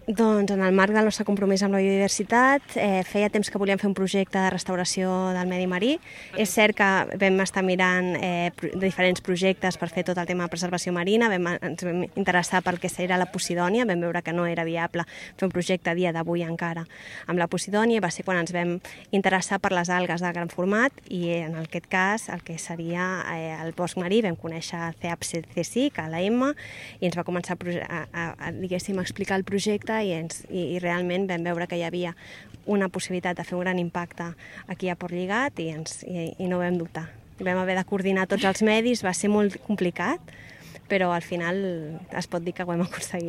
Doncs en el marc del nostre compromís amb la biodiversitat, feia temps que volíem fer un projecte de restauració del medi marí. És cert que vam estar mirant diferents projectes per fer tot el tema de preservació marina, ens vam interessar pel que era la Posidònia, vam veure que no era viable fer un projecte a dia d'avui encara amb la Posidònia, va ser quan ens vam interessar per les algues de gran format i en aquest cas el que seria el bosc marí vam conèixer CEAP-CSIC, a la Emma, i ens va començar a explicar el projecte i realment vam veure que hi havia una possibilitat de fer un gran impacte aquí a Port Lligat i no vam dubtar. Vam haver de coordinar tots els medis, va ser molt complicat, però al final es pot dir que ho hem aconseguit.